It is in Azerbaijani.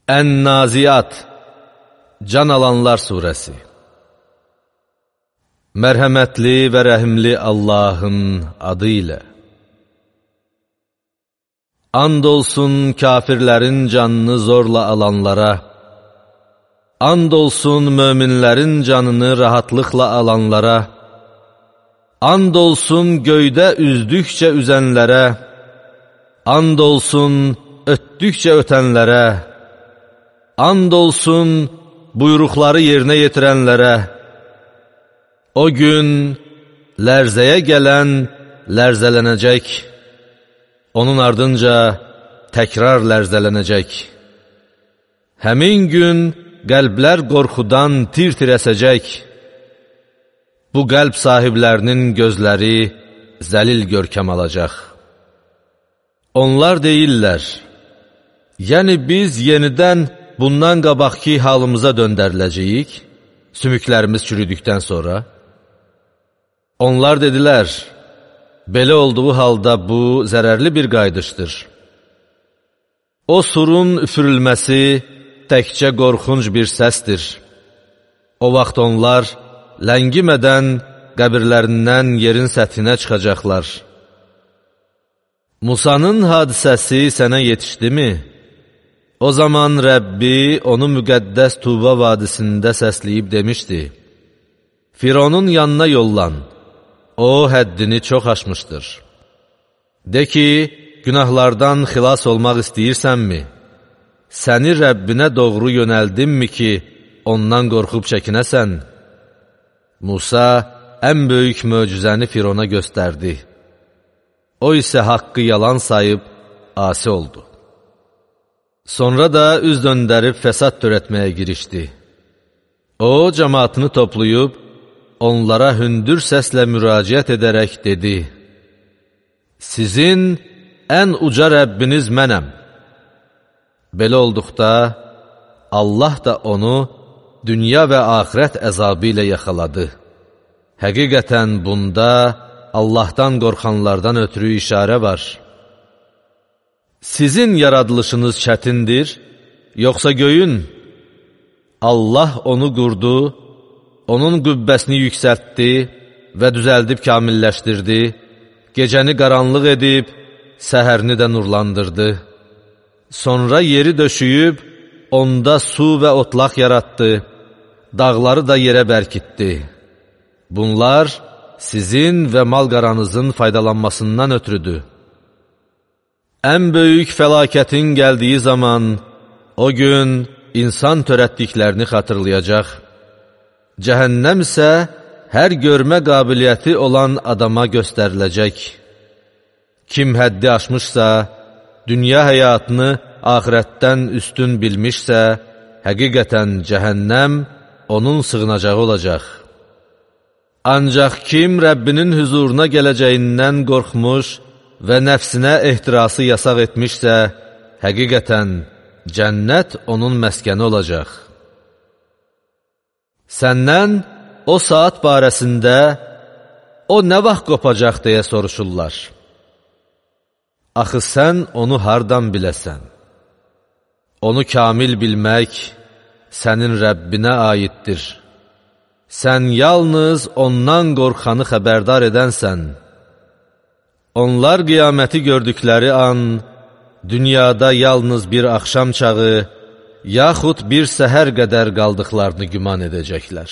Ən-Naziyat, Can Alanlar Suresi. Mərhəmətli və rəhimli Allahın adı ilə. And olsun kafirlərin canını zorla alanlara, and olsun möminlərin canını rahatlıqla alanlara, and olsun göydə üzdükcə üzənlərə, and olsun ötdükcə ötənlərə, and olsun buyruqları yerinə yetirənlərə. O gün lərzəyə gələn lərzələnəcək, onun ardınca təkrar lərzələnəcək. Həmin gün qəlblər qorxudan tir-tir əsəcək. Bu qəlb sahiblərinin gözləri zəlil görkəm alacaq. Onlar deyirlər, yəni biz yenidən bundan qabaqki halımıza döndəriləcəyik, sümüklərimiz çürüdükdən sonra. Onlar dedilər, belə olduğu halda bu zərərli bir qayıdışdır. O surun üfürülməsi təkcə qorxunc bir səsdir. O vaxt onlar ləngimədən qəbirlərindən yerin səthinə çıxacaqlar. Musanın hadisəsi sənə yetişdimi? O zaman Rəbbi onu müqəddəs Tuba vadisində səsləyib demişdi, Fironun yanına yollan, o həddini çox aşmışdır. De ki, günahlardan xilas olmaq istəyirsənmi? Səni Rəbbinə doğru yönəldimmi ki, ondan qorxub çəkinəsən? Musa ən böyük möcüzəni Firona göstərdi. O isə haqqı yalan sayıb asi oldu. Sonra da üz döndərib fəsad törətməyə girişdi. O, cəmaatını toplayıb, onlara hündür səslə müraciət edərək dedi, Sizin ən uca Rəbbiniz mənəm. Belə olduqda, Allah da onu dünya və axirət əzabı ilə yaxaladı. Həqiqətən bunda Allahdan qorxanlardan ötürü işarə var. Sizin yaradılışınız çətindir, yoxsa göyün? Allah onu qurdu, onun qübbəsini yüksəltdi və düzəldib kamilləşdirdi, gecəni qaranlıq edib, səhərini də nurlandırdı. Sonra yeri döşüyüb, onda su və otlaq yaratdı, dağları da yerə bərkitdi. Bunlar sizin və mal-qaranızın faydalanmasından ötürüdür. Ən böyük fəlakətin gəldiyi zaman, o gün insan törətdiklərini xatırlayacaq. Cəhənnəm isə hər görmə qabiliyyəti olan adama göstəriləcək. Kim həddi aşmışsa, dünya həyatını axirətdən üstün bilmişsə, həqiqətən cəhənnəm onun sığınacağı olacaq. Ancaq kim Rəbbinin hüzuruna gələcəyindən qorxmuş və nəfsinə ehtirası yasaq etmişsə, həqiqətən cənnət onun məskəni olacaq. Səndən o saat barəsində o nə vaxt qopacaq deyə soruşurlar. Axı sən onu hardan biləsən? Onu kamil bilmək sənin Rəbbinə aiddir. Sən yalnız ondan qorxanı xəbərdar edənsən. Onlar qiyaməti gördükləri an, dünyada yalnız bir axşam çağı, yaxud bir səhər qədər qaldıqlarını güman edəcəklər.